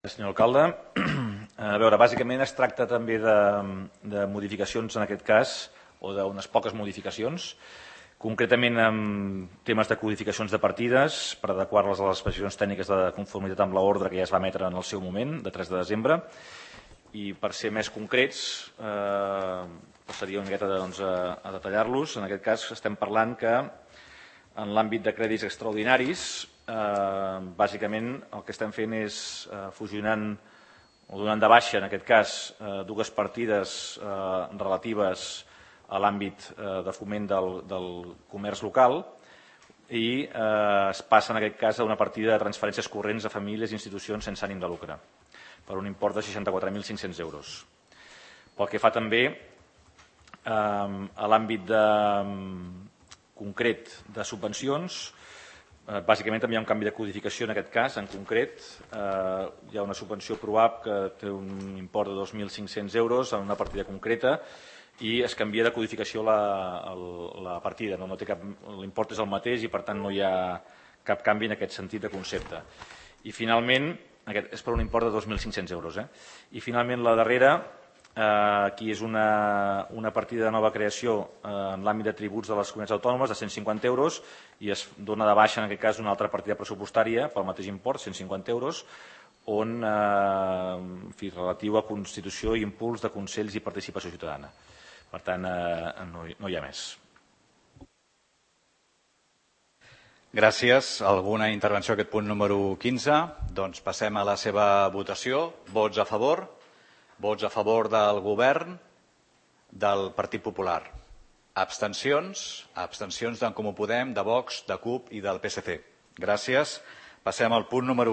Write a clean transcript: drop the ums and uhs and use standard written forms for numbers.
Senyor alcalde, a veure, bàsicament es tracta també de modificacions en aquest cas, o d'unes poques modificacions, concretament amb temes de codificacions de partides per adequar-les a les especificacions tècniques de conformitat amb l'ordre que ja es va emetre en el seu moment, de 3 de desembre, i per ser més concrets, passaria una miqueta a detallar-los. En aquest cas estem parlant que en l'àmbit de crèdits extraordinaris, bàsicament el que estem fent és fusionant o donant de baixa, en aquest cas, dues partides relatives a l'àmbit de foment del comerç local i es passa, en aquest cas, a una partida de transferències corrents a famílies i institucions sense ànim de lucre, per un import de 64.500 euros. Pel que fa també a l'àmbit concret de subvencions, bàsicament també hi ha un canvi de codificació en aquest cas. En concret, hi ha una subvenció PROAP que té un import de 2.500 euros en una partida concreta i es canvia de codificació la partida. L'import és el mateix i per tant no hi ha cap canvi en aquest sentit de concepte. I finalment, aquest és per un import de 2.500 euros. I finalment la darrera, aquí és una partida de nova creació en l'àmbit de tributs de les comunitats autònomes de 150 euros i es dona de baixa en aquest cas una altra partida pressupostària pel mateix import, 150 euros, on relatiu a constitució i impuls de consells i participació ciutadana. Per tant, no hi ha més. Gràcies. Alguna intervenció a aquest punt número 15? Doncs passem a la seva votació. Vots a favor? Vots a favor del govern, del Partit Popular. Abstencions? Abstencions d'en Comú Podem, de Vox, de CUP i del PSC. Gràcies. Passem al punt número